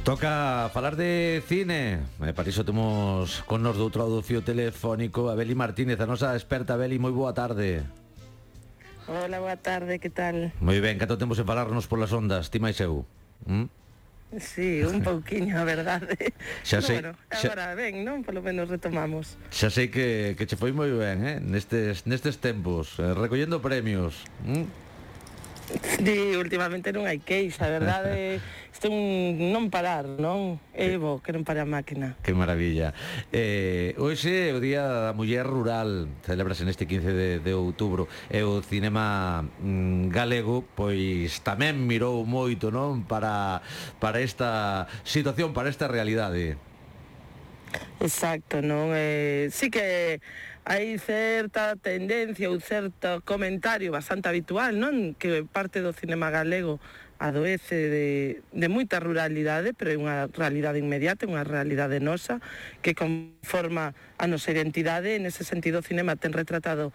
Toca falar de cine. Para iso temos con nos do outro lado do fío telefónico a Beli Martínez, a nosa experta. Beli, moi boa tarde. Hola, boa tarde, que tal? Moi ben, canto temos en falarnos polas ondas, ti máis eu. Sí, un pouquiño, a verdade. Xa Pero sei, bueno, agora ben, non? Polo menos retomamos. Xa sei que che foi moi ben, nestes tempos, recollendo premios. Sí, últimamente non hai queixa, a verdade. Isto é un non parar, non? Evo, que non para a máquina. Que maravilla. Hoxe é o Día da Muller Rural, celebrase neste 15 de outubro, e o cinema galego pois tamén mirou moito, non, para esta situación, para esta realidade. Exacto, non? Sí que hai certa tendencia ou certo comentario bastante habitual, non? Que parte do cinema galego adoece de moita ruralidade, pero é unha realidade inmediata, unha realidade nosa que conforma a nosa identidade. En ese sentido, o cinema ten retratado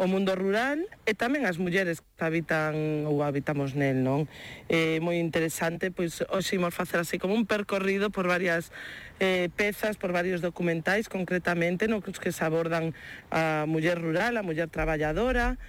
o mundo rural e tamén as mulleres que habitan ou habitamos nel, non? É moi interesante, pois hoxe imos facer así como un percorrido por varias pezas, por varios documentais concretamente, nos que se abordan a muller rural, a muller traballadora,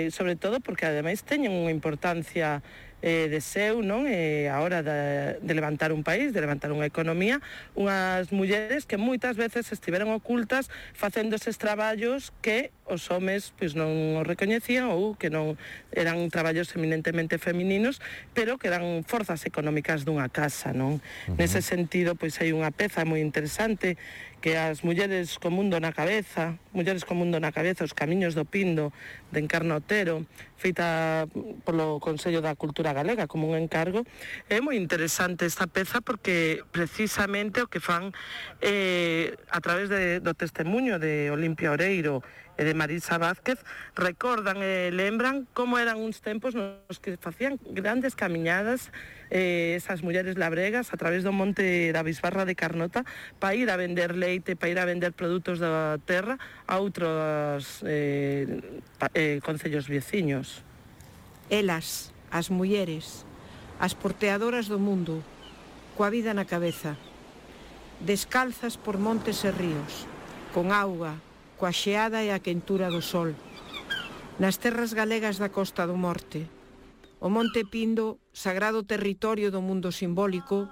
sobre todo porque ademais teñen unha importancia de seu, non? A hora de levantar un país, de levantar unha economía, unhas mulleres que moitas veces estiveron ocultas facendo eses traballos que os homes pois non os recoñecían ou que non eran traballos eminentemente femininos, pero que eran forzas económicas dunha casa, non? Nese sentido, pois hai unha peza moi interesante que as mulleres co mundo na cabeza, os camiños do Pindo, de Encarna Otero, feita polo Consello da Cultura Galega como un encargo. É moi interesante esta peza porque precisamente o que fan a través do testemunho de Olimpia Oreiro e de Marisa Vázquez, recordan e lembran como eran uns tempos nos que facían grandes camiñadas esas mulleres labregas a través do monte da Bisbarra de Carnota para ir a vender leite, para ir a vender produtos da terra a outros concellos veciños. Elas, as mulleres, as porteadoras do mundo, coa vida na cabeza, descalzas por montes e ríos, con auga, coa xeada e a quentura do sol, nas terras galegas da Costa do Morte. O Monte Pindo, sagrado territorio do mundo simbólico,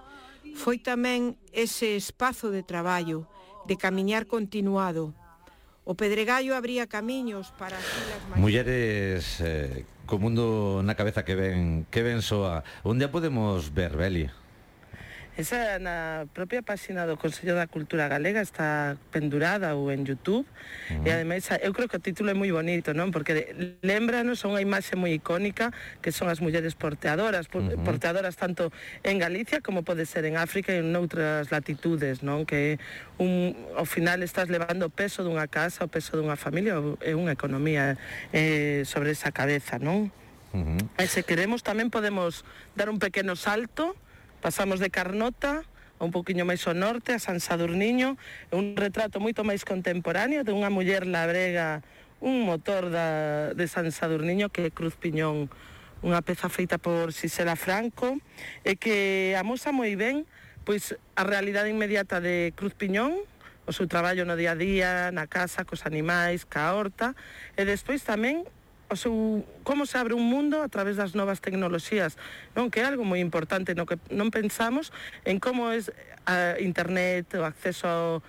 foi tamén ese espazo de traballo, de camiñar continuado. O Pedregallo abría camiños para as vilas máis... Mulleres co mundo na cabeza que ben soa. Onde a podemos ver, Beli? Esa na propia páxina do Consello da Cultura Galega está pendurada ou en YouTube. E ademais eu creo que o título é moi bonito, non? Porque lembranos unha imaxe moi icónica que son as mulleres porteadoras, porteadoras tanto en Galicia como pode ser en África e en outras latitudes, non? Que ao final estás levando o peso dunha casa, o peso dunha familia e unha economía sobre esa cabeza, non? E se queremos tamén podemos dar un pequeno salto. Pasamos de Carnota a un poquinho máis ao norte, a San Sadurniño, un retrato moito máis contemporáneo de unha muller labrega, un motor de San Sadurniño que é Cruz Piñón, unha peza feita por Xisela Franco e que amosa moi ben pois a realidade inmediata de Cruz Piñón, o seu traballo no día a día, na casa, cos animais, ca horta, e despois tamén como se abre un mundo a través das novas tecnoloxías, non? Que é algo moi importante no que non pensamos en como é a internet, o acceso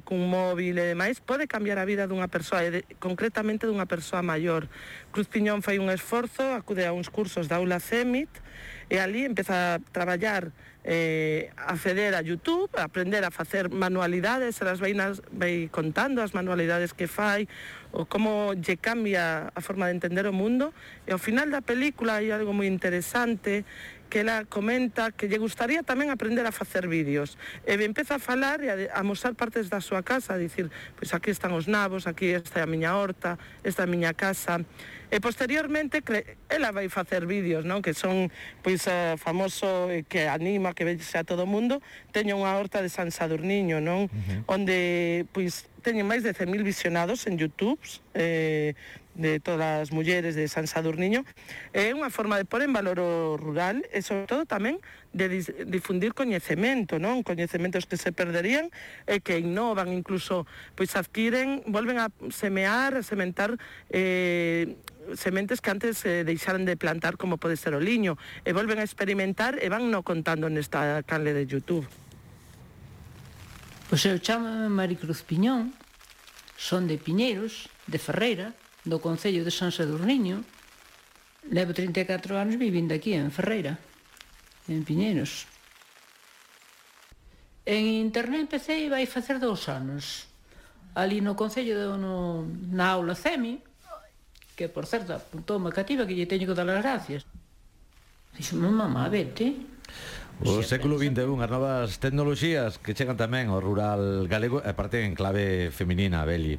cun móvil e demais, pode cambiar a vida dunha persoa, concretamente dunha persoa maior. Cruz Piñón fai un esforzo, acude a uns cursos da Aula CEMIT e ali empeza a traballar, acceder a YouTube, a aprender a facer manualidades, elas vai contando as manualidades que fai, o como lle cambia a forma de entender o mundo, e ao final da película hai algo moi interesante que ela comenta que lle gustaría tamén aprender a facer vídeos. E empeza a falar e a mostrar partes da súa casa, a dicir, pois aquí están os nabos, aquí está a miña horta, esta é a miña casa. E posteriormente ela vai facer vídeos, non? Que son pois famoso, que anima, que vexe a todo o mundo. Teño unha horta de San Sadurniño, non? Onde pois teñen máis de 100.000 visionados en YouTube, de todas as mulleres de San Sadurniño. É unha forma de pôr en valor o rural e, sobre todo, tamén de difundir coñecemento, non? Coñecementos que se perderían e que innovan, incluso pois adquiren, volven a semear, a sementar sementes que antes deixaran de plantar, como pode ser o liño, e volven a experimentar e van no contando nesta canle de YouTube. Pois eu chamo Maricruz Piñón, son de Piñeiros, de Ferreira, do Concello de San Sadurniño. Levo 34 anos vivindo aquí en Ferreira, en Piñeiros. En internet empecé vai facer 2 anos, ali no Concello, na aula CEMI, que, por certo, apuntou unha cativa que lle teño que dar as gracias. Dixo, mamá, vete. O século XXI, as novas tecnoloxías que chegan tamén ao rural galego, e parte en clave feminina, Beli.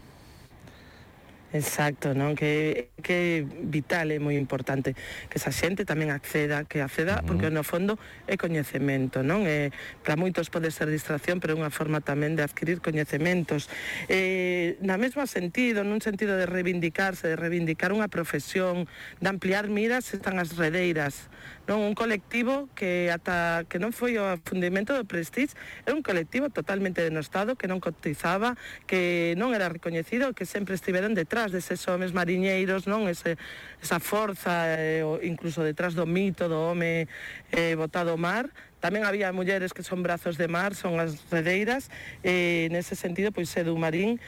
Exacto, non? Que vital e moi importante que esa xente tamén acceda, porque no fondo é coñecemento, non? Para moitos pode ser distracción, pero é unha forma tamén de adquirir coñecementos. Na mesma sentido, nun sentido de reivindicarse, de reivindicar unha profesión, de ampliar miras, están as redeiras, non? Un colectivo que ata que non foi o afundimento do Prestige, é un colectivo totalmente denostado, que non cotizaba, que non era recoñecido, que sempre estiveron detrás deses homes mariñeiros, non? Esa forza, incluso detrás do mito do home botado ao mar. Tamén había mulleres que son brazos de mar, son as redeiras. Nese sentido, pois Edu Marín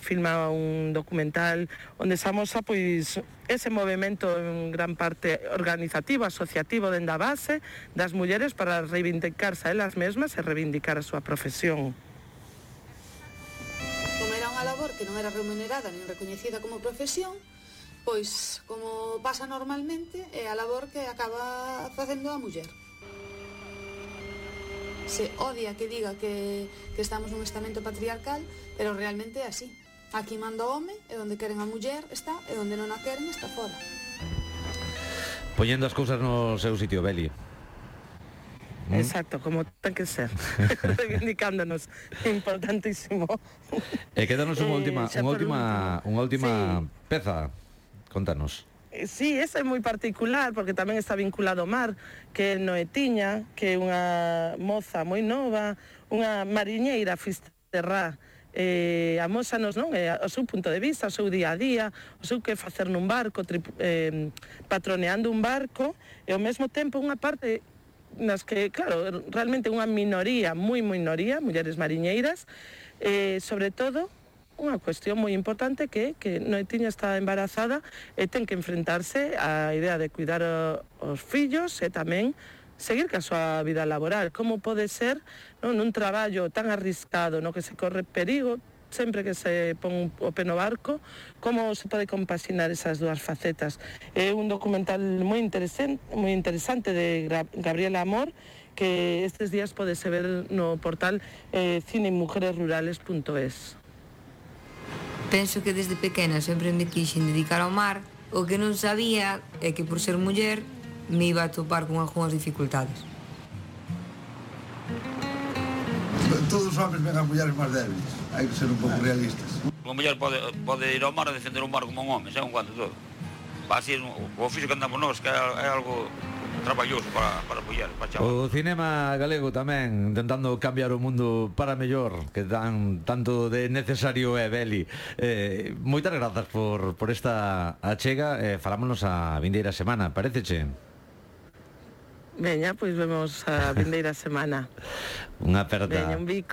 filma un documental onde se amosa pois ese movimento en gran parte organizativo, asociativo dende a base das mulleres para reivindicarse a elas mesmas e reivindicar a súa profesión. Como era unha labor que non era remunerada nin recoñecida como profesión, pois, como pasa normalmente, é a labor que acaba facendo a muller. Se odia que diga que estamos nun estamento patriarcal, pero realmente é así. Aquí manda o home, e onde queren a muller está, e onde non a queren está fora. Poñendo as cousas no seu sitio, Beli. Exacto, como ten que ser. Reivindicándonos, importantísimo. E quédanos unha última sí. peza. Contanos. Sí, esa é moi particular porque tamén está vinculado ao mar, que é Noetiña, que é unha moza moi nova, unha mariñeira fisterrá, amósanos, non? O seu punto de vista, o seu día a día, o seu que facer nun barco, patroneando un barco, e ao mesmo tempo unha parte nas que, claro, realmente unha minoría, moi minoría, mulleres mariñeiras, sobre todo unha cuestión moi importante que Noetiña está embarazada e ten que enfrentarse á idea de cuidar os fillos e tamén seguir ca súa vida laboral. Como pode ser, non, nun traballo tan arriscado, no que se corre perigo sempre que se pon o pé no barco, como se pode compaxinar esas dúas facetas. É un documental moi interesante de Gabriela Amor, que estes días podese ver no portal cinemujeresrurales.es. Penso que desde pequena sempre me quixen dedicar ao mar. O que non sabía é que por ser muller me iba a topar con algunhas dificultades. Todos os homens ven as mulleres máis débiles. Hai que ser un pouco realistas. Unha muller pode ir ao mar e defender un mar como un home, é un cuanto todo. Así, o oficio que andamos nós, que é algo traballoso para mulleres, para chavales. O cinema galego tamén intentando cambiar o mundo para mellor, que tanto de necesario é, Beli. Moitas grazas por esta achega. Falámonos a vindeira semana, paréceche? Veña, pois vemos a vindeira semana. Unha aperta. Veña, un bico.